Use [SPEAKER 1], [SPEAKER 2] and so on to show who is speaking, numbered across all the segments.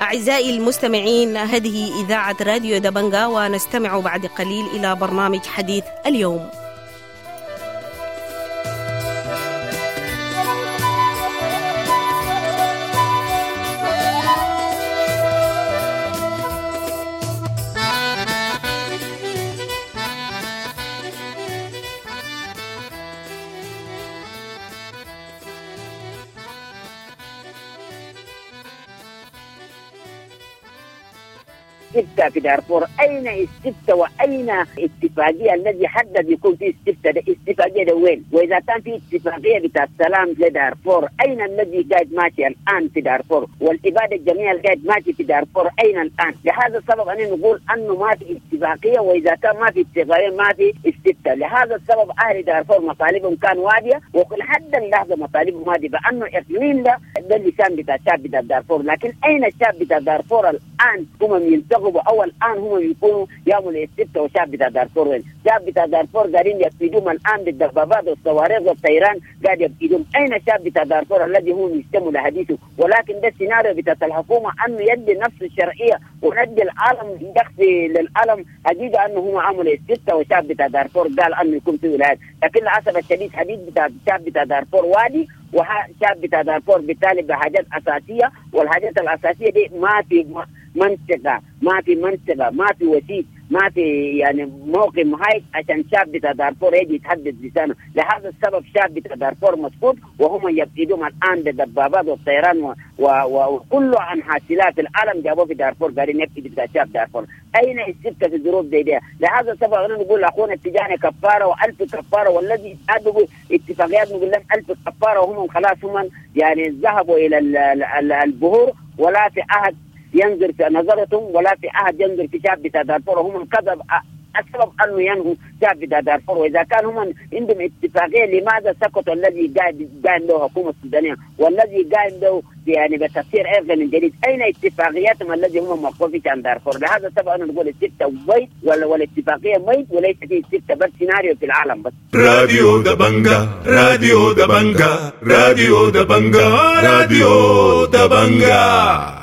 [SPEAKER 1] أعزائي المستمعين، هذه إذاعة راديو دبنجا، ونستمع بعد قليل إلى برنامج حديث اليوم.
[SPEAKER 2] استفتاء في دارفور، اين استفتاء واين اتفاقية الذي حدد يكون في استفتاء؟ ده اتفاقية ده وين؟ واذا كان في اتفاقية بتاع السلام لدارفور، اين الذي قاعد ماشي الان في دارفور؟ والاباده الجميع اللي قاعد ماشي في دارفور اين الان؟ لهذا السبب انا نقول انه ما في اتفاقية، واذا كان ما في اتفاقية ما في استفتاء. لهذا السبب اهل دارفور مطالبهم كان واديه، ولحد اللحظة مطالبهم واديه بانه اقليم ده اللسان بتاع الشعب بتاع دارفور، لكن اين الشعب بتاع دارفور الان؟ هم ينتخبوا او الان هم يكونوا يعملوا استفتاء، وشعب بتاع دارفور وين؟ شعب بتاع دارفور قاعدين يفيدوهم الان بالدبابات والصواريخ والطيران قاعد يفيدوهم، اين الشعب بتاع دارفور الذي هم يستموا لحديثه؟ ولكن ده السيناريو بتاع الحكومة انه يدي نفس الشرعية وندي العالم يخفي للعالم حقيقة انه هم عملوا استفتاء، وشعب بتاع دارفور قال انه يكون في ولايات، لكن للاسف الشديد حديث بتاع الشعب بتاع دارفور وادي، وشعب بتاع دارفور بالتالي بحاجات اساسية، والحاجات الاساسية دي ما في منطقة، ما في منطقة، ما في وسيط، ما في يعني موقف محايد عشان شعب بتاع دارفور يجي يتحدث لسانه. لهذا السبب شعب بتاع دارفور مسكوت، وهم يبتدون الان بالدبابات والطيران وكل انحاء سلاح في العالم جابوه في دارفور، قاعدين يبتدي بتاع شعب دارفور. اين السبته في الظروف زي دي؟ لهذا السبب انا نقول لاخونا التجاني كفارة والف كفارة، والذي اتفاقيات نقول لهم الف كفارة، وهم خلاص هم يعني ذهبوا الى البهور، ولا في احد ينظر في نظرتهم، ولا في احد ينظر في شعب بتاع دارفور. هم كذب السبب انه ينهوا شعب بتاع دارفور، واذا كان هم عندهم اتفاقية لماذا سكتوا الذي قاعد له حكومة السودانية والذي قاعد له يعني بتفسير عرقي من جديد؟ اين اتفاقياتهم الذي هم موقفين عن دارفور؟ لهذا السبب انا نقول الستة ميت والاتفاقيه ميت، وليس في ستة بس سيناريو في العالم بس.
[SPEAKER 3] راديو دبنجا، راديو دبنجا، راديو دبنجا، راديو دبنجا.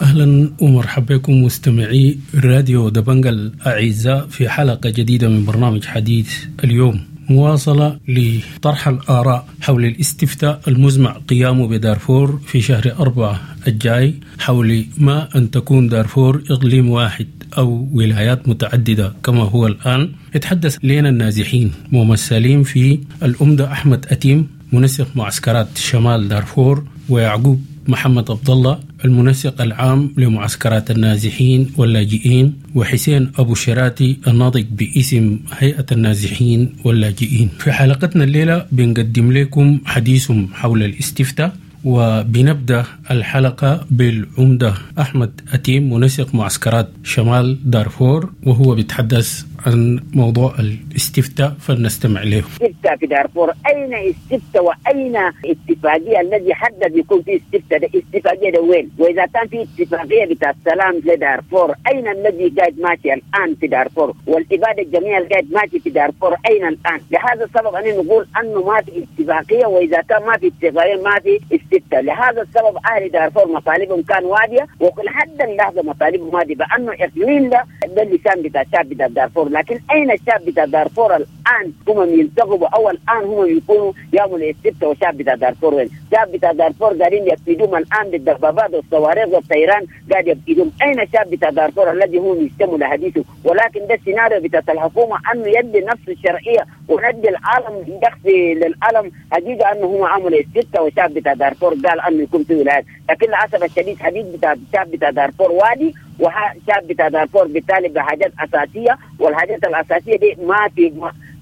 [SPEAKER 4] اهلا ومرحبا بكم مستمعي راديو دبنجا الاعزاء في حلقة جديدة من برنامج حديث اليوم، مواصلة لطرح الآراء حول الاستفتاء المزمع قيامه بدارفور في شهر 4 الجاي، حول ما أن تكون دارفور إقليم واحد أو ولايات متعددة كما هو الآن. يتحدث لنا النازحين ممثلين في الأمدة أحمد أتيم منسق معسكرات شمال دارفور، ويعقوب محمد عبد الله المنسق العام لمعسكرات النازحين واللاجئين، وحسين أبو شراتي الناطق باسم هيئة النازحين واللاجئين. في حلقتنا الليلة بنقدم لكم حديثهم حول الاستفتاء، وبنبدأ الحلقة بالعمدة أحمد أتيم منسق معسكرات شمال دارفور، وهو بيتحدث عن موضوع الاستفتاء، فلنستمع له.
[SPEAKER 2] استفتاء في دارفور، أين استفتاء وأين اتفاقية الذي حدد يكون في استفتاء؟ ده اتفاقية ده وين؟ وإذا كان في اتفاقية بتاع السلام لدارفور، أين الذي قاعد ماشي الآن في دارفور؟ والإبادة الجميع اللي قاعد ماشي في دارفور أين الآن؟ لهذا السبب أنا نقول أنه ما في اتفاقية، وإذا كان ما في اتفاقية ما في استفتاء. لهذا السبب أهل دارفور مطالبهم كان وادية، ولحد اللحظة مطالبهم وادية بأنه إقليم ده اللسان بتاع الشعب بتاع دارفور، لكن أين الشعب بتاع دارفور الآن؟ هم ينتخبوا أو الآن هم يكونوا يعملوا استفتاء، وشعب بتاع دارفور وين؟ شعب بتاع دارفور قاعدين يفيدوهم الآن بالدبابات والصواريخ والطيران قاعد يفيدوهم، أين الشعب بتاع دارفور الذي هم يستموا لحديثه؟ ولكن ده السيناريو بتاع الحكومة أنه يدي نفس الشرعية وندي العالم يخفي للعالم حقيقة أنه هم عملوا استفتاء، وشعب بتاع دارفور قال أنه يكون في ولايات، لكن للأسف الشديد حديث بتاع الشعب بتاع دارفور وادي، وشعب بتاع دارفور بالتالي بحاجات أساسية، والحاجات الأساسية دي ما في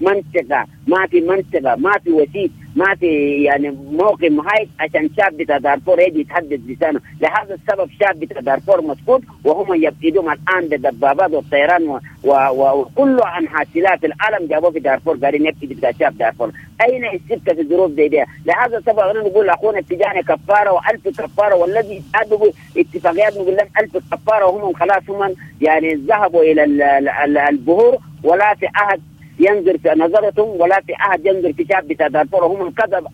[SPEAKER 2] منطقة، ما في منطقة، ما في وسيط، ما في يعني موقف محايد عشان شعب بتاع دارفور يجي يتحدث لسانه. لهذا السبب شعب بتاع دارفور مسكوت، وهم يبتدون الآن بالدبابات والطيران وكل أنحاء سلاح في العالم جابوه في دارفور، قاعدين يبتدي بتاع شعب دارفور. أين السبتة في الظروف زي دي؟ لهذا السبب أنا نقول لأخونا التجاني كفارة وألف كفارة، والذي اتفاقيات نقول لهم ألف كفارة، وهم خلاص هم يعني ذهبوا إلى البهور، ولا في أحد ينظر في نظرتهم، ولا في أحد ينظر في شعب بتاع دارفور. هم كذب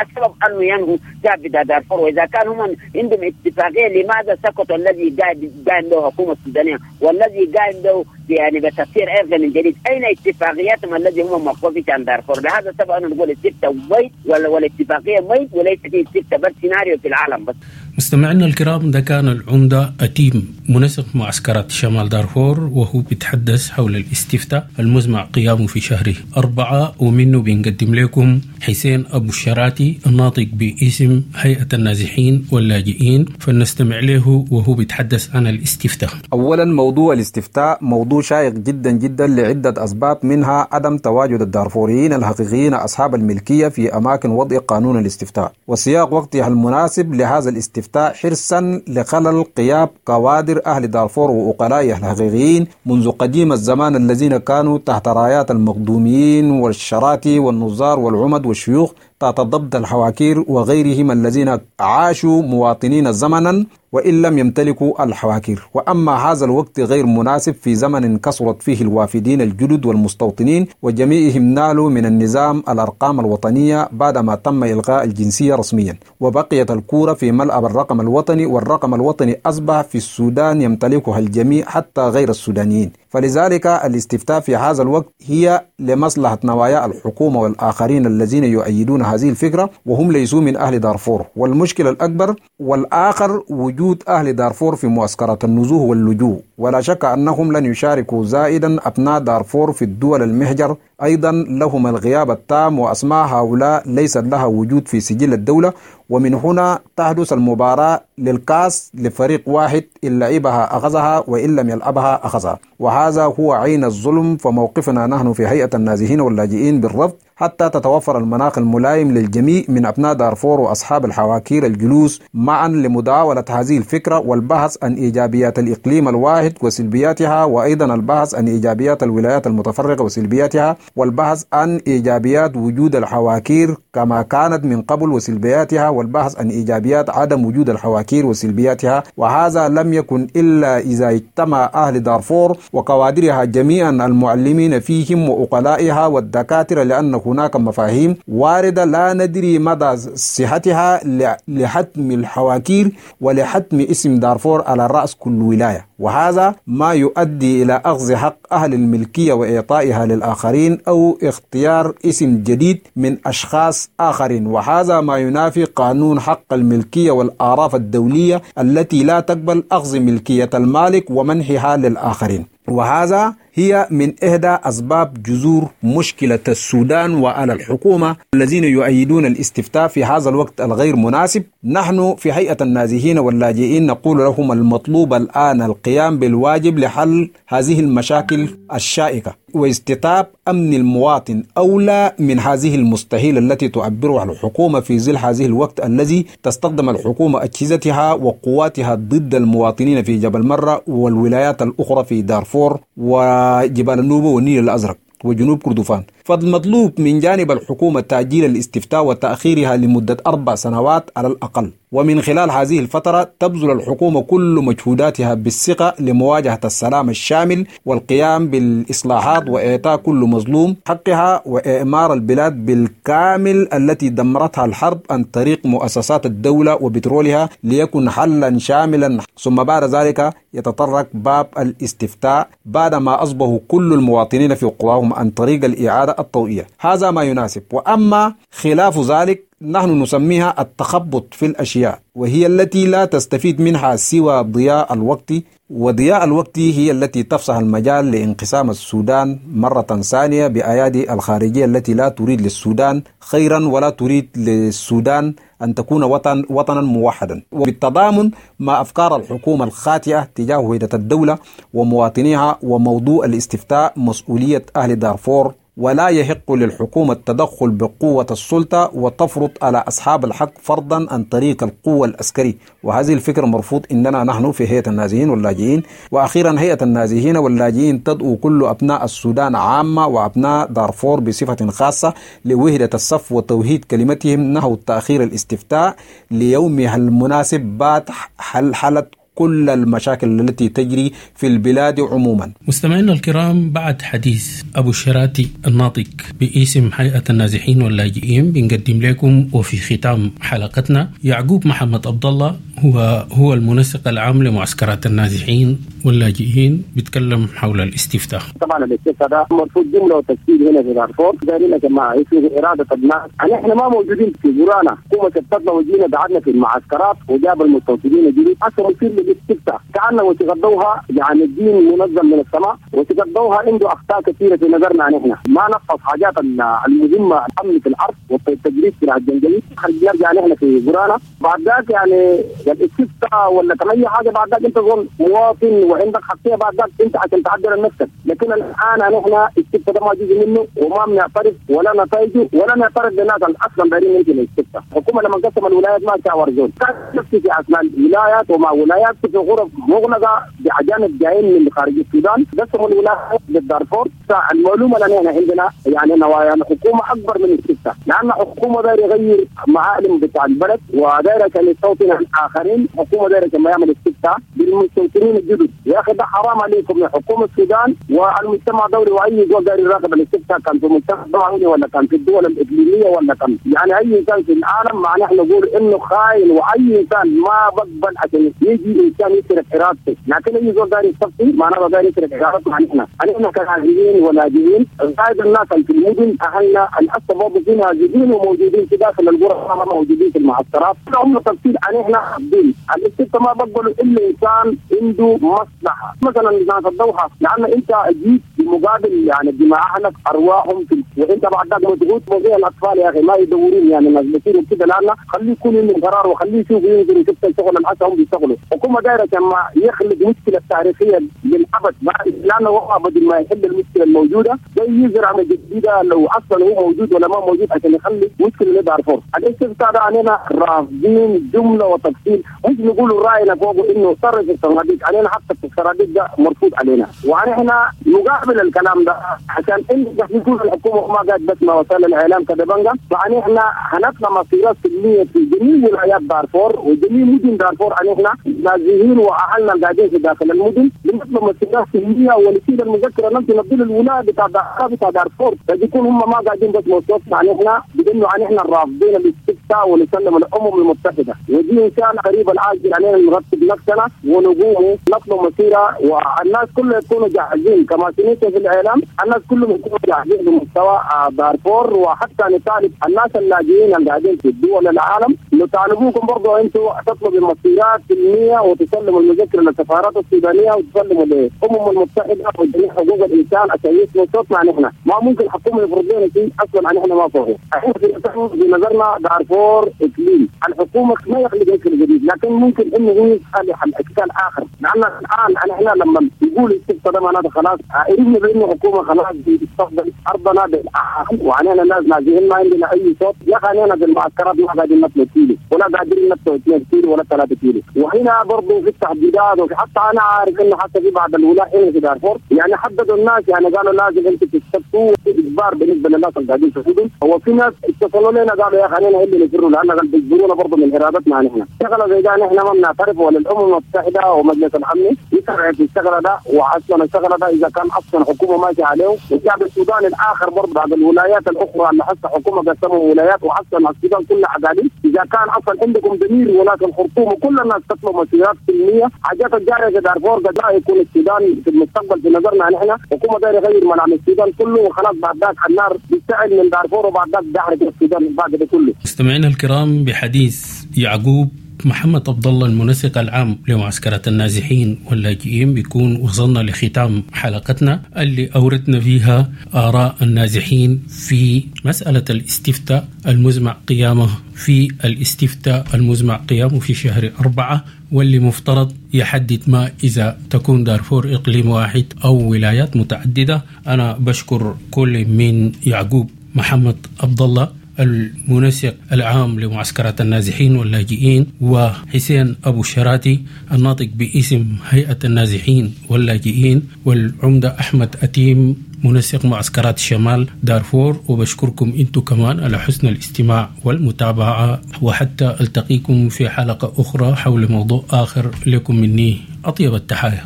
[SPEAKER 2] السبب انه ينهوا شعب بتاع دارفور؟ واذا كان هم عندهم اتفاقيه لماذا سكتوا الذي قايم به الحكومه السودانيه والذي قايم به يعني بتفسير عرقي من جديد؟ اين اتفاقياتهم الذي هم موقفين عن دارفور؟ لهذا السبب انا نقول استفتاء ميت والاتفاقيه ميت وليس في استفتاء بس سيناريو في العالم بس.
[SPEAKER 4] مستمعينا الكرام، ده كان العمدة أتيم منسق معسكرات شمال دارفور، وهو بيتحدث حول الاستفتاء المزمع قيامه في شهر 4، ومنه بنقدم لكم حسين أبو الشراتي الناطق باسم هيئة النازحين واللاجئين، فلنستمع له وهو بيتحدث عن الاستفتاء.
[SPEAKER 5] أولا موضوع الاستفتاء موضوع شائق جدا جدا لعدة أسباب، منها عدم تواجد الدارفوريين الحقيقيين أصحاب الملكية في أماكن وضع قانون الاستفتاء وسياق وقتها المناسب لهذا الاستفتاء، حرصا لخلل غياب كوادر أهل دارفور وأقلائها الحقيقيين منذ قديم الزمان الذين كانوا تحت رايات المقدوميين والشراتي والنظار والعمد والشيوخ تحت ضبط الحواكير وغيرهم الذين عاشوا مواطنين زمنا وإن لم يمتلكوا الحواكير. وأما هذا الوقت غير مناسب في زمن كثرت فيه الوافدين الجدد والمستوطنين وجميعهم نالوا من النظام الأرقام الوطنية بعدما تم إلغاء الجنسية رسميا، وبقيت الكورة في ملعب الرقم الوطني، والرقم الوطني أصبح في السودان يمتلكها الجميع حتى غير السودانيين. فلذلك الاستفتاء في هذا الوقت هي لمصلحة نوايا الحكومة والآخرين الذين يؤيدون هذه الفكرة وهم ليسوا من أهل دارفور. والمشكلة الأكبر والآخر وجود أهل دارفور في معسكرات النزوه واللجوء، ولا شك أنهم لن يشاركوا زائدا أبناء دارفور في الدول المهجر، أيضا لهم الغياب التام وأسماء هؤلاء ليست لها وجود في سجل الدولة. ومن هنا تحدث المباراة للكاس لفريق واحد، إن لعبها أخذها وإن لم يلعبها أخذها، وهذا هو عين الظلم. فموقفنا نحن في هيئة النازحين واللاجئين بالرفض حتى تتوفر المناخ الملائم للجميع من أبناء دارفور وأصحاب الحواكير الجلوس معا لمداولة هذه الفكرة والبحث عن إيجابيات الإقليم الواحد وسلبياتها، وأيضا البحث عن إيجابيات الولايات المتفرقة وسلبياتها، والبحث عن إيجابيات وجود الحواكير كما كانت من قبل وسلبياتها، والبحث عن إيجابيات عدم وجود الحواكير وسلبياتها. وهذا لم يكن إلا إذا اجتمع أهل دارفور وكوادرها جميعا، المعلمين فيهم وأقلائها والدكاترة، لأن هناك مفاهيم واردة لا ندري مدى صحتها لحتم الحواكير ولحتم اسم دارفور على رأس كل ولاية، وهذا ما يؤدي إلى أخذ حق أهل الملكية وإعطائها للآخرين أو اختيار اسم جديد من أشخاص آخرين، وهذا ما ينافي قانون حق الملكية والآراف الدولية التي لا تقبل أخذ ملكية المالك ومنحها للآخرين. وهذا هي من إحدى أسباب جذور مشكلة السودان. وعلى الحكومة الذين يؤيدون الاستفتاء في هذا الوقت الغير مناسب، نحن في هيئة النازحين واللاجئين نقول لهم المطلوب الآن القيام بالواجب لحل هذه المشاكل الشائكة واستتاب أمن المواطن أولى من هذه المستحيل التي تعبرها الحكومة في ظل هذه الوقت الذي تستخدم الحكومة أجهزتها وقواتها ضد المواطنين في جبل مرة والولايات الأخرى في دارفور وجبال النوبة والنيل الأزرق وجنوب كردفان. فالمطلوب من جانب الحكومة تأجيل الاستفتاء وتأخيرها لمدة 4 سنوات على الأقل، ومن خلال هذه الفترة تبذل الحكومة كل مجهوداتها بالثقة لمواجهة السلام الشامل والقيام بالإصلاحات وإعطاء كل مظلوم حقها وإعمار البلاد بالكامل التي دمرتها الحرب عن طريق مؤسسات الدولة وبترولها ليكن حلا شاملا. ثم بعد ذلك يتطرق باب الاستفتاء بعدما أصبحوا كل المواطنين في قراهم عن طريق الإعادة الطوعية. هذا ما يناسب، وأما خلاف ذلك نحن نسميها التخبط في الأشياء، وهي التي لا تستفيد منها سوى ضياء الوقت، وضياء الوقت هي التي تفسح المجال لانقسام السودان مرة ثانية بأيادي الخارجية التي لا تريد للسودان خيرا ولا تريد للسودان أن تكون وطنا موحدا، وبالتضامن مع أفكار الحكومة الخاطئة تجاه وحدة الدولة ومواطنيها. وموضوع الاستفتاء مسؤولية أهل دارفور، ولا يحق للحكومة التدخل بقوة السلطة وتفرض على أصحاب الحق فرضا عن طريق القوة العسكري، وهذه الفكرة مرفوض إننا نحن في هيئة النازحين واللاجئين. وأخيرا هيئة النازحين واللاجئين تدعو كل أبناء السودان عامة وأبناء دارفور بصفة خاصة لوحدة الصف وتوحيد كلمتهم نحو تأخير الاستفتاء ليومها المناسب بعد حلحلة كل المشاكل التي تجري في البلاد عموما.
[SPEAKER 4] مستمعينا الكرام، بعد حديث أبو الشراتي الناطق باسم هيئة النازحين واللاجئين بنقدم لكم وفي ختام حلقتنا يعقوب محمد عبد الله، هو المنسق العام لمعسكرات النازحين واللاجئين، بيتكلم حول الاستفتاء.
[SPEAKER 6] طبعا الاستفتاء ده مرفوض جملة وتفصيل هنا في دارفور، دايرين يا جماعة يسوي اراده الناس. احنا ما موجودين في قرانا، حكومة شتتنا وجينا قعدنا في المعسكرات وجاب المستوطنين الجديد اصلا يصير للاستفتاء كأنه وتغضوها، يعني الدين منظم من السماء وتغضوها عنده اخطاء كثيرة في نظرنا. نحن ما نفذ حاجات المهمة، الامن في الارض والتجريد في الجنجلي، نرجع نحن في قرانا بعد ذاك يعني الاستفتاء ولا اي حاجة بعد ذاك انت تظل مواطن وعندك حقية بعد ذاك انت عشان تعدل نفسك. لكن الان نحن الاستفتاء ده ما جزء منه وما بنعترف ولا نتائجه ولا نعترف بالناس اصلا دايرين يمكن الاستفتاء. الحكومة لما قسم الولايات ما شاور زول، كان نفسي في اثناء الولايات ومع ولايات في غرف مغلقة باجانب جايين من خارج السودان قسموا الولايات للدارفور. المعلومة اللي احنا عندنا يعني نوايا الحكومة اكبر من الاستفتاء، لان الحكومة دايرة يغير معالم بتاع البلد ودايره كان يستوطن الاخرين. الحكومة دايرة كما يعمل استفتاء بالمستوطنين الجدد. يا اخي ده حرام عليكم يا حكومة السودان والمجتمع الدولي واي زول داير يراقب الاستفتاء، كان في المجتمع الدولي ولا كان في الدول الاقليمية ولا كان يعني اي انسان في العالم، مع نحن نقول انه خاين واي انسان ما بقبل عشان يجي انسان يسرق ارادته. لكن اي زول داير يستفتي معناه داير يسرق ارادته. نحن كنازحين ولاجئين غايب الناس في المدن، اهلنا الاصل برضه في نازحين وموجودين في داخل القرى، موجودين في المعسكرات. هم تفصيل نحن حابين الاستفتاء ما بقبلوا الا انسان عنده مصلحة، مثلا ناس الدوحة، لان انت جيت بمقابل يعني دماء اهلك ارواحهم في، وانت بعد ذاك مضغوط وزي الاطفال يا اخي ما يدورون يعني الناس بيصيروا كده. لان خليه يكون عنده قرار وخليه يشوف ينزل يشوف الشغل الحسن هم بيشتغلوا. الحكومة دايرة كما يخلق مشكلة تاريخية للابد، لانه هو بدل ما يحل المشكلة الموجودة زي يزرع جديدة لو اصلا هو موجود ولا ما موجود عشان يخلي مشكلة لدارفور. الاستفتاء ده علينا رافضين جملة وتفصيل، مش نقول راينا فوق انه صرف الصناديق علينا، حتى الصناديق ده مرفوض علينا. ونحن مقابل الكلام ده عشان ان يكون الحكومة ما قاعد بس ما وسائل الاعلام كدبنجا، فنحن هنطلع مسيرات سلمية في جميع ولايات دارفور وجميع مدن دارفور. نحن نازحين واهلنا قاعدين في داخل المدن بنطلب مسيرات سلمية ونشيل المذكرة نمشي نبدل الولاية بتاع دارفور، فيكون هم ما قاعدين بس موصوف. نحن بانه نحن رافضين الاستفتاء ونسلم الامم المتحدة، ودي ان شاء الله قريب العاجل علينا نرتب نفسنا ونقوم نطلب مسيره، والناس كلها يكونوا جاهزين كما سمعت في الاعلام، الناس كلهم يكونوا جاهزين بمستوى دارفور. وحتى نطالب الناس اللاجئين اللي قاعدين في الدول العالم نطالبوكم برضه انتم تطلبوا مسيرات سلمية وتسلموا المذكرة للسفارات السودانية وتسلموا للامم المتحدة وجميع حقوق الانسان عشان يسمعوا صوتنا. نحن ما ممكن الحكومة يفرض لنا شيء اصلا نحن ما فوقه. احنا في نظرنا دارفور اقليم، الحكومة ما يخلق مشكلة جديد، لكن ممكن انه هو يصلح الاشكال اخر. لان الان نحن لما يقول الاستفتاء ده معناته خلاص عرفنا بانه الحكومة خلاص بتستخدم ارضنا بالاخر، وعنينا الناس نازحين ما عندنا اي صوت. يا اخي علينا بالمعسكرات ما قاعدين نطلع كيلو ولا قادرين نطلع 2 كيلو ولا 3 كيلو. وهنا برضه في التحديدات، وفي حتى انا عارف انه حتى في بعض الولايات هنا في دارفور يعني حددوا الناس، يعني قالوا لازم انتم تستفتوا اجبار بالنسبة للناس اللي قاعدين في المدن. هو في ناس اتصلوا لنا قالوا يا اخي علينا اللي نفروا لان بيجبرونا برضه من ارادتنا نحن. شغله زي ده نحن ما بنعترف، ولا الامم المتحدة ومجلس الامن يسرع في الشغلة ده. واصلا الشغلة ده اذا كان اصلا حكومة ماشية عليه، والشعب السوداني الاخر برضه بعض الولايات الاخرى اللي حتى حكومة قسموا ولايات واصلا السودان كلها اقاليم، اذا كان اصلا عندكم ضمير ولاية الخرطوم وكل الناس تطلب مسيرات سلمية، حاجات الجارية في دارفور قد لا يكون السودان في المستقبل في نظرنا نحن حكومة دايرة يغير ملامح السودان كله، وخلاص بعد ذاك النار بيشتعل من دارفور وبعد ذاك بيحرق السودان بعد ده كله.
[SPEAKER 4] مستمعينا الكرام، بحديث يعقوب محمد عبد الله المنسق العام لمعسكرات النازحين واللاجئين بيكون وصلنا لختام حلقتنا اللي أوردنا فيها آراء النازحين في مسألة الاستفتاء المزمع قيامه في الاستفتاء المزمع قيامه في شهر 4، واللي مفترض يحدد ما إذا تكون دارفور إقليم واحد أو ولايات متعددة. أنا بشكر كل من يعقوب محمد عبد الله المنسق العام لمعسكرات النازحين واللاجئين، وحسين أبو شراتي الناطق باسم هيئة النازحين واللاجئين، والعمدة أحمد أتيم منسق معسكرات شمال دارفور. وبشكركم انتم كمان على حسن الاستماع والمتابعة، وحتى التقيكم في حلقة أخرى حول موضوع آخر. لكم مني أطيب التحايا.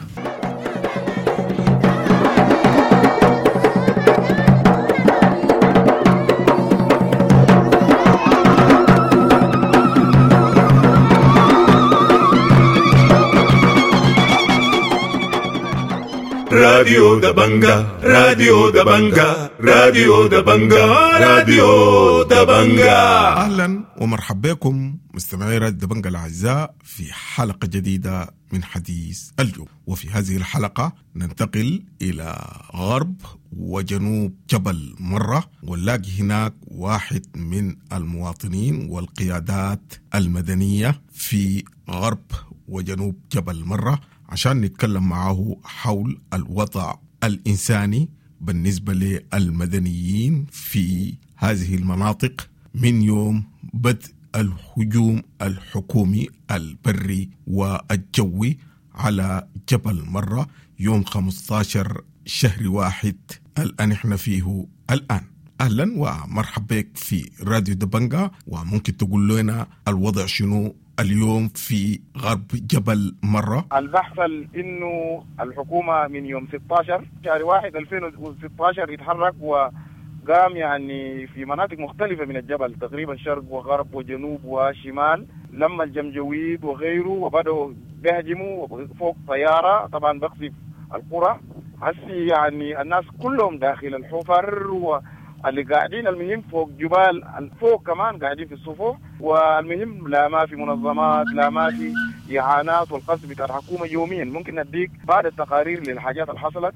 [SPEAKER 3] راديو دبنجا، راديو دبنجا، راديو دبنجا، راديو دبنجا.
[SPEAKER 7] أهلا ومرحبا بكم مستمعي راديو دبنجا الأعزاء في حلقة جديدة من حديث اليوم. وفي هذه الحلقة ننتقل إلى غرب وجنوب جبل مرة، ونلاقي هناك واحد من المواطنين والقيادات المدنية في غرب وجنوب جبل مرة عشان نتكلم معه حول الوضع الإنساني بالنسبة للمدنيين في هذه المناطق من يوم بدء الهجوم الحكومي البري والجوي على جبل مرة يوم 15 شهر واحد الآن احنا فيه الآن. أهلا ومرحبا بك في راديو دبنجا، وممكن تقول لنا الوضع شنو اليوم في غرب جبل مرة؟
[SPEAKER 8] البحث انه الحكومة من يوم 16 شهر 1 2016 يتحرك وقام يعني في مناطق مختلفة من الجبل تقريبا، شرق وغرب وجنوب وشمال، لما الجمجويد وغيره، وبدأوا بيهجموا فوق طيارة طبعا بقصف القرى. هسي يعني الناس كلهم داخل الحفر و اللي قاعدين، المهم فوق جبال فوق كمان قاعدين في الصفوف. والمهم لا ما في منظمات، لا ما في إعانات، والقصف بتاع الحكومة يوميا. ممكن نديك بعض التقارير للحاجات اللي حصلت.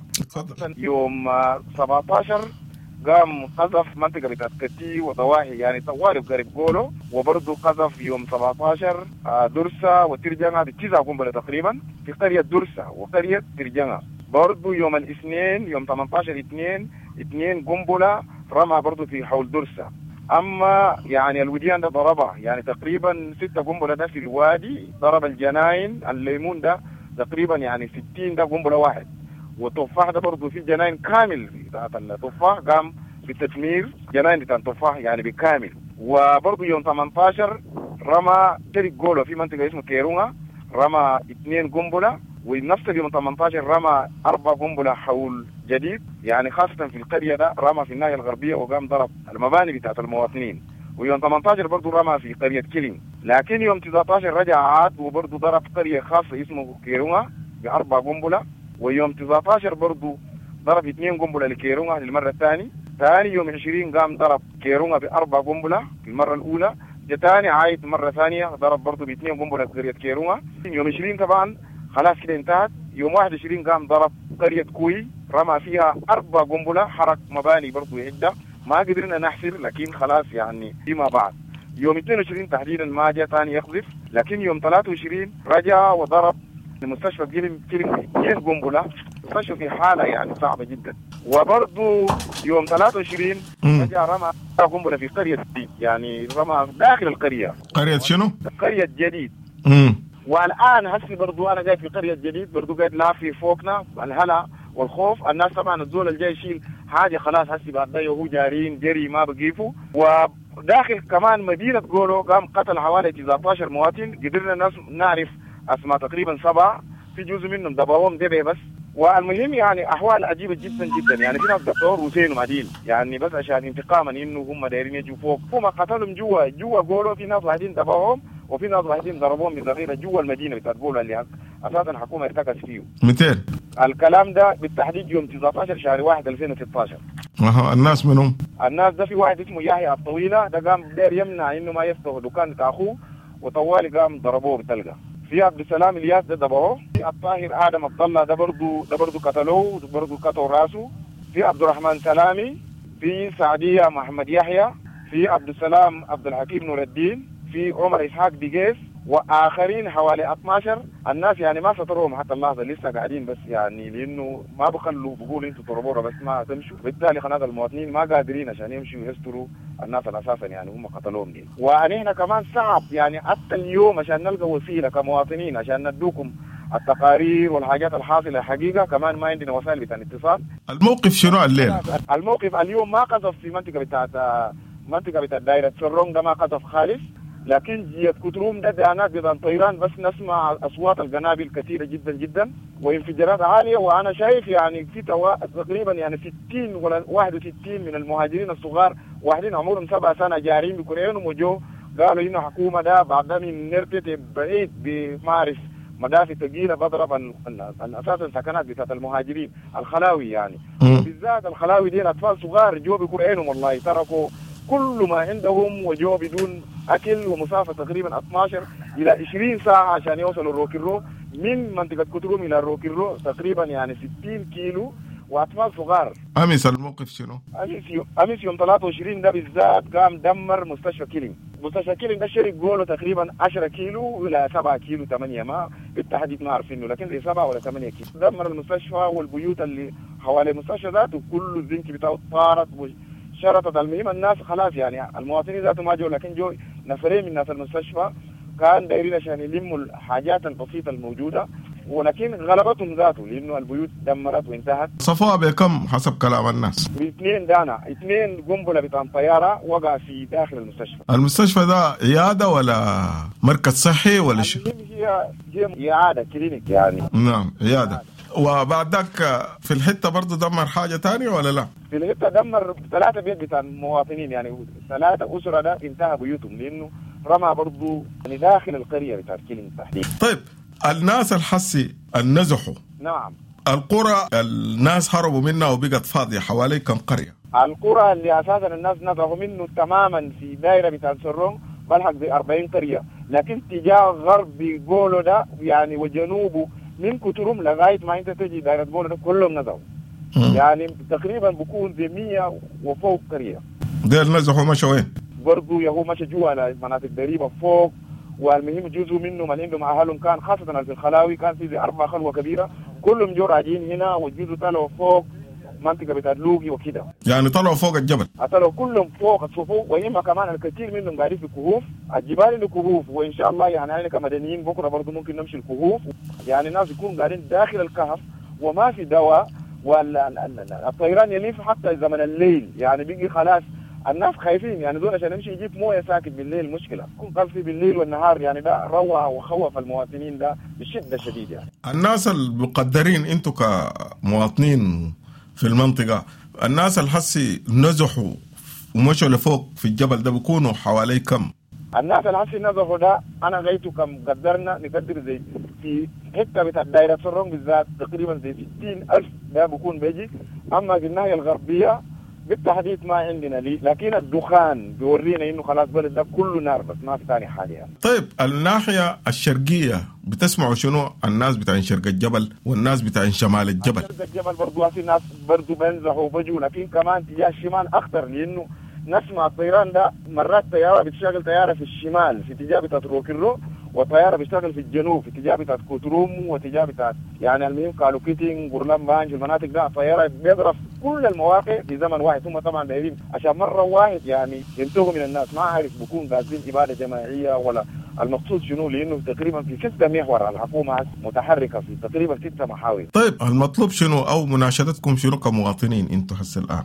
[SPEAKER 8] يوم 17 قام قذف منطقة بتاعت كتي وضواحي يعني طوالي قريب قولو، وبرضه قذف يوم 17 درسة وترجمة بتسعة قنبلة تقريبا في قرية درسة وقرية ترجمة. برضه يوم الاثنين يوم 18/2 2 قنبلة رمى برضه في حول درسة. أما يعني الوديان ده ضربها يعني تقريبا 6 قنبلة ده في الوادي، ضرب الجناين الليمون ده تقريبا يعني 60 ده قنبلة واحد، والتفاح ده برضه في جناين كامل بتاعت التفاح قام بالتدمير جناين بتاع التفاح يعني بالكامل. وبرضه يوم 18 رمى شرق جولو في منطقة اسمه كيرونا رمى 2 قنبلة، ونفس اليوم 18 رمى 4 قنبلة حول جديد يعني خاصة في القرية ده رمى في الناحية الغربية وقام ضرب المباني بتاعت المواطنين. ويوم 18 برضه رمى في قرية كيلين، لكن يوم 19 رجع عاد وبرضه ضرب قرية خاصة اسمه كيرونا ب4 قنبلة. ويوم 19 برضه ضرب 2 قنبلة لكيرونا للمرة الثانية. ثاني يوم 20 قام ضرب كيرونا ب4 قنبلة في المرة الأولى، ثاني عايد مرة ثانية ضرب برضه ب2 قنبلة في قرية كيرونا. يوم 20 طبعا خلاص كده انتهت. يوم 21 قام ضرب قرية كوي رمى فيها 4 قنبلة، حرق مباني برضو عدة ما قدرنا نحصر لكن خلاص يعني فيما بعد. يوم 22 تحديدا ما جاء ثاني يقذف، لكن يوم 23 رجع وضرب المستشفى كيلم 2 قنبلة، المستشفى في حالة يعني صعبة جدا. وبرضو يوم 23 رجع رمى قنبلة في قرية جديد، يعني رمى داخل القرية.
[SPEAKER 7] قرية شنو؟
[SPEAKER 8] قرية جديد. والآن هسي برضو أنا جاي في قرية جديد برضو قاعد لافي فوقنا الهلا والخوف. الناس طبعا الزول الجاي يشيل حاجة خلاص هسي بعد ده وهو جارين جري ما بقيفوا. وداخل كمان مدينة قولو قام قتل حوالي 19 مواطن، قدرنا الناس نعرف أسماء تقريبا 7، في جزء منهم دبوهم دبي بس. والمهم يعني أحوال عجيبة جدا جدا، يعني في ناس دكتور وزين وعديل يعني بس عشان انتقاما إنه هم دايرين يجوا فوق، هم قتلهم جوا قولو. في ناس واحدين دبوهم وفي ناس واحدين ضربوهم بذخيره جوا المدينه بتاعت قولو اللي اساسا الحكومه ارتكز فيه.
[SPEAKER 7] 200
[SPEAKER 8] الكلام ده بالتحديد يوم 19 شهر 1 2016.
[SPEAKER 7] اها الناس منهم؟
[SPEAKER 8] الناس ده في واحد اسمه يحيى الطويله ده قام داير يمنع انه ما يفتح دكان بتاع اخوه، وطوالي قام ضربوه بتلقى. في عبد السلام الياس ده ضربوه، في الطاهر ادم عبد الله ده برضه قتلوه برضه قطعوا راسه، في عبد الرحمن سلامي، في سعديه محمد يحيى، في عبد السلام عبد الحكيم نور الدين، في عمر إسحاق ديجيس، وآخرين حوالي 12. الناس يعني ما سطروهم حتى اللحظة، لسه قاعدين بس يعني لأنه ما بخلوا بقولوا انتوا تضربونا بس ما تمشوا. بالتالي خلاص المواطنين ما قادرين عشان يمشوا يستروا الناس اساسا يعني هم قتلوهم دي. ونحن كمان صعب يعني حتى اليوم عشان نلقى وسيلة كمواطنين عشان ندوكم التقارير والحاجات الحاصلة حقيقة، كمان ما عندنا وسائل بتاع الاتصال.
[SPEAKER 7] الموقف شنو الليلة؟
[SPEAKER 8] الموقف اليوم ما قذف في منطقة بتاعت دايرة سرونج ده ما قذف خالص، لكن جيت كتروم ده دانات بتاع طيران، بس نسمع اصوات القنابل كثيرة جدا جدا وانفجارات عالية. وانا شايف يعني في تقريبا يعني 60 ولا 61 من المهاجرين الصغار، واحدين عمرهم 7 سنة جارين بكرعينهم وجو قالوا انه حكومة ده بعد من نرتت بعيد بمعرف مدافع ثقيلة بضرب اساس السكنات بتاعت المهاجرين الخلاوي يعني. بالذات الخلاوي دي اطفال صغار جو بكرعينهم والله، تركوا كل ما عندهم وجو بدون اكل، ومسافه تقريبا 12 الى 20 ساعة عشان يوصلوا الروكيرو من منطقة كتروم الى الروكيرو تقريبا يعني 60 كيلو، واطفال صغار.
[SPEAKER 7] امس الموقف شنو؟
[SPEAKER 8] امس يوم 23 ده بالذات قام دمر مستشفى كيلينج. مستشفى كيلينج ده شرق جولة تقريبا 10 كيلو الى 7 كيلو 8، ما بالتحديد ما عارفينه، لكن زي 7 ولا 8 كيلو. دمر المستشفى والبيوت اللي حوالي المستشفى ذاته كله الزنك بتاعه طارت شرطت. المهم الناس خلاص يعني المواطنين ذاته ما جو، لكن جو نفرين من ناس المستشفى كان دايرين عشان يلموا الحاجات البسيطة الموجودة، ولكن غلبتهم ذاته لانه البيوت دمرت وانتهت.
[SPEAKER 7] صفوها بكم حسب كلام الناس؟
[SPEAKER 8] باثنين دانا، 2 قنبلة بتاع طيارة وقع في داخل المستشفى.
[SPEAKER 7] المستشفى ده عيادة ولا مركز صحي ولا شيء؟
[SPEAKER 8] هي عيادة clinic يعني.
[SPEAKER 7] نعم عيادة. وبعد ذاك في الحتة برضه دمر حاجة ثانية ولا لا؟
[SPEAKER 8] في الحتة دمر 3 بيت بتاع المواطنين، يعني 3 اسره ده انتهى بيوتهم لانه رمى برضه يعني داخل القرية بتاعت كيلينج تحديدا.
[SPEAKER 7] طيب الناس الحسي النزحوا،
[SPEAKER 8] نعم،
[SPEAKER 7] القرى الناس هربوا منها وبقت فاضية حوالي كم قرية؟
[SPEAKER 8] القرى اللي اساسا الناس نزحوا منه تماما في دائرة بتاعت سرونج بلحق زي 40 قرية، لكن تجاه غرب جولو ده يعني وجنوبه من كترم لغاية ما انت تجي دائرة جولو ده كلهم نزحوا. يعني تقريبا بكون زي 100 وفوق قرية.
[SPEAKER 7] ديل نزحوا مشوا وين؟
[SPEAKER 8] برضه يهو مشى جوا على مناطق قريبه فوق، والمهم جزء منهم اللي عندهم اهلهم كان خاصة في الخلاوي كان في 4 خلوه كبيرة كلهم جو راجعين هنا، والجزء طلعوا فوق منطقة بتاعت لوقي وكده.
[SPEAKER 7] يعني طلعوا فوق الجبل؟
[SPEAKER 8] طلعوا كلهم فوق الصفوف، وإما كمان الكثير منهم قاعدين في كهوف، الجبال اللي كهوف، وإن شاء الله يعني احنا كمدنيين بكره برضه ممكن نمشي الكهوف، يعني الناس يكونوا قاعدين داخل الكهف وما في دواء، والطيران يلف حتى زمن الليل، يعني بيجي خلاص الناس خايفين يعني دول عشان يمشي يجيب مويه ساكت بالليل مشكلة، يكون قذف بالليل والنهار، يعني ده روع وخوف المواطنين ده بشده شديدة يعني.
[SPEAKER 7] الناس المقدرين انتم كمواطنين في المنطقة، الناس الحسي نزحوا ومشوا لفوق في الجبل ده بيكونوا حوالي كم؟
[SPEAKER 8] الناس الحسي نزحوا ده انا غايته كم قدرنا نقدر زي في حتة بتاع دايرة سرونج بالذات تقريبا زي 60,000 ده بيكون بيجي. اما في الناحية الغربية بالتحديد ما عندنا لي، لكن الدخان بيورينا انه خلاص بلد ده كله نار بس ما في ثاني حاجة يعني.
[SPEAKER 7] طيب الناحية الشرقية بتسمعوا شنو الناس بتاعين شرق الجبل والناس بتاعين شمال الجبل؟
[SPEAKER 8] شرق الجبل برضو في ناس برضو بنزحوا وبجوا، لكن كمان تجاه الشمال اخطر لانه نسمع الطيران ده مرات طيارة بتشتغل طيارة في الشمال في اتجاه بتاعت روكيرو، وطياره بتشتغل في الجنوب في اتجاه بتاعت كوتروم واتجاه بتاعت يعني المهم كالوكيتين غورلان بانج المناطق ده طيارة بيضرب كل المواقع في زمن واحد. هم طبعا دايرين عشان مرة واحد يعني ينتهوا من الناس، ما عارف بكون قاصدين ابادة جماعية ولا المقصود شنو، لانه تقريبا في 6 محور الحكومة متحركة في تقريبا 6 محاور.
[SPEAKER 7] طيب المطلوب شنو او مناشدتكم شنو كمواطنين انتم هسه الان؟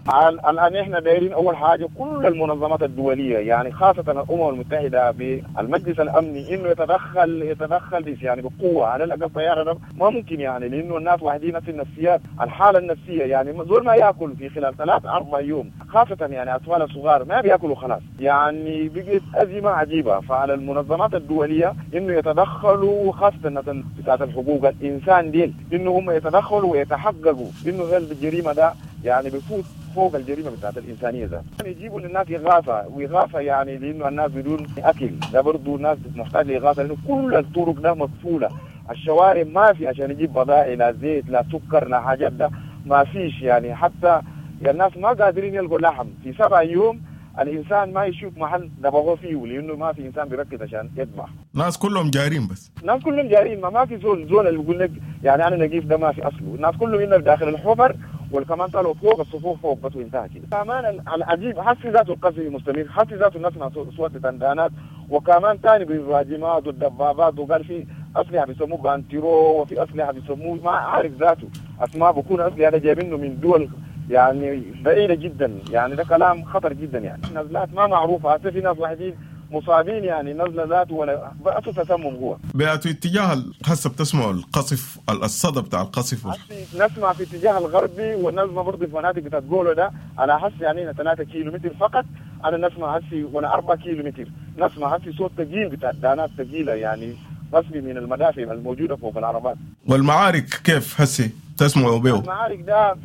[SPEAKER 8] الان احنا دايرين اول حاجة كل المنظمات الدولية يعني خاصة الامم المتحدة بالمجلس الامني انه يتدخل يعني بقوة على الاقل. طيارة ده ما ممكن يعني لانه الناس واحدين نفس النفسيات، الحالة النفسية يعني زول ما ياكل في خلال 3-4 يوم، خاصة يعني اطفال صغار ما بياكلوا خلاص، يعني بقت ازمة عجيبة. فعلى المنظمات الدولية انه يتدخلوا خاصة بتاعت الحقوق الانسان ديل انه هم يتدخلوا ويتحققوا انه هذا الجريمة ده يعني بفوت فوق الجريمة بتاعت الانسانية ذات. يعني يجيبوا للناس اغاثه واغاثه يعني لانه الناس بدون اكل ده برضه الناس محتاجه لاغاثه لانه كل الطرق ده مقفولة، الشوارع ما في عشان يجيب بضائع لا زيت لا سكر لا حاجات ده ما فيش يعني، حتى الناس ما قادرين يلقوا لحم في 7 يوم. الانسان ما يشوف محل ذبحوه فيه لانه ما في انسان بيركز عشان يذبح.
[SPEAKER 7] ناس كلهم جارين بس.
[SPEAKER 8] ناس كلهم جارين، ما في زول اللي بيقول لك يعني انا نقيف ده ما في اصله، الناس كلهم هنا داخل الحفر والكمان طلعوا فوق الصفوف فوق بس وانتهى كده. كمان العجيب حسي ذاته القصف مستمر، حسي ذاته نسمع صوت دندانات، وكمان ثاني بالراجمات والدبابات، وقال في اسلحة بيسموه بانتيرو، وفي اسلحة بيسموه ما عارف ذاته اسماء، بكون اسلحة ده جايبينه من دول يعني بعيدة جدا، يعني ده كلام خطر جدا. يعني نزلات ما معروفة، حتى في ناس واحدين مصابين يعني نزله ذاته ولا بأسوا تسمم هو.
[SPEAKER 7] بأتو اتجاه هسه بتسمعوا القصف، الصدى بتاع القصف
[SPEAKER 8] نسمع في اتجاه الغربي، ونسمع برضه في مناطق بتاعت جولو ده على حس يعني 3 كيلو متر فقط، انا نسمع هسي وانا 4 كيلو متر نسمع هسي صوت ثقيل بتاع دانات ثقيلة يعني رسمي من المدافع الموجودة فوق العربات.
[SPEAKER 7] والمعارك كيف هسي تسمعوا به؟
[SPEAKER 8] المعارك ده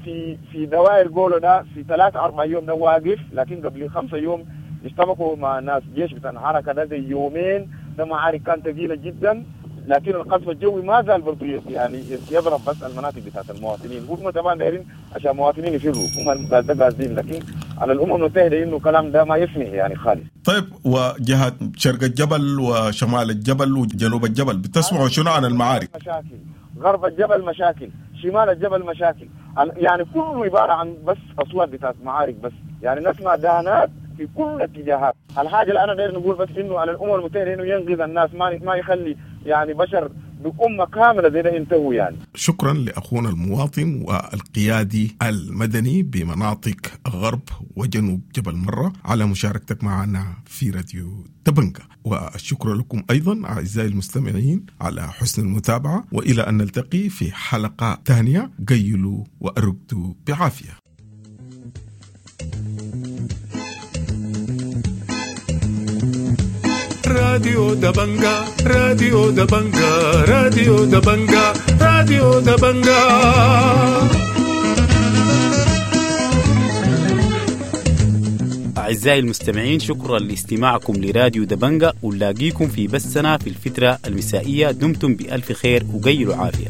[SPEAKER 8] في دوائر جولو ده في 3-4 يوم ده واقف، لكن قبل 5 يوم اشتبكوا مع ناس جيش بتاع الحركة ده زي يومين، ده معارك كانت ثقيلة جدا، لكن القصف الجوي ما زال برضه يعني يضرب بس المناطق بتاعت المواطنين. هم طبعا دايرين عشان المواطنين يفروا، هم ده قاصدين، لكن على الامم المتحدة انه الكلام ده ما يسمح يعني خالص.
[SPEAKER 7] طيب وجهات شرق الجبل وشمال الجبل وجنوب الجبل بتسمعوا شنو عن المعارك؟
[SPEAKER 8] مشاكل غرب الجبل، مشاكل شمال الجبل، مشاكل يعني كله عبارة عن بس اصوات بتاعت معارك بس، يعني نسمع دهانات في كل الاتجاهات. الحاجة اللي انا داير نقول بس انه على الامم المتحدة انه ينقذ الناس، ما يخلي يعني بشر بأمة كاملة زي ده ينتهوا يعني.
[SPEAKER 7] شكرا لأخونا المواطن والقيادي المدني بمناطق غرب وجنوب جبل مرة على مشاركتك معنا في راديو دبنجا، والشكر لكم أيضا أعزائي المستمعين على حسن المتابعة، وإلى أن نلتقي في حلقة ثانية، قيلوا وأرقدوا بعافية.
[SPEAKER 3] راديو دبنجا، راديو دبنجا، راديو دبنجا، راديو دبنجا.
[SPEAKER 9] أعزائي المستمعين، شكرا لاستماعكم لراديو دبنجا، ونلاقيكم في بثنا في الفترة المسائية. دمتم بألف خير وقيلوا عافية.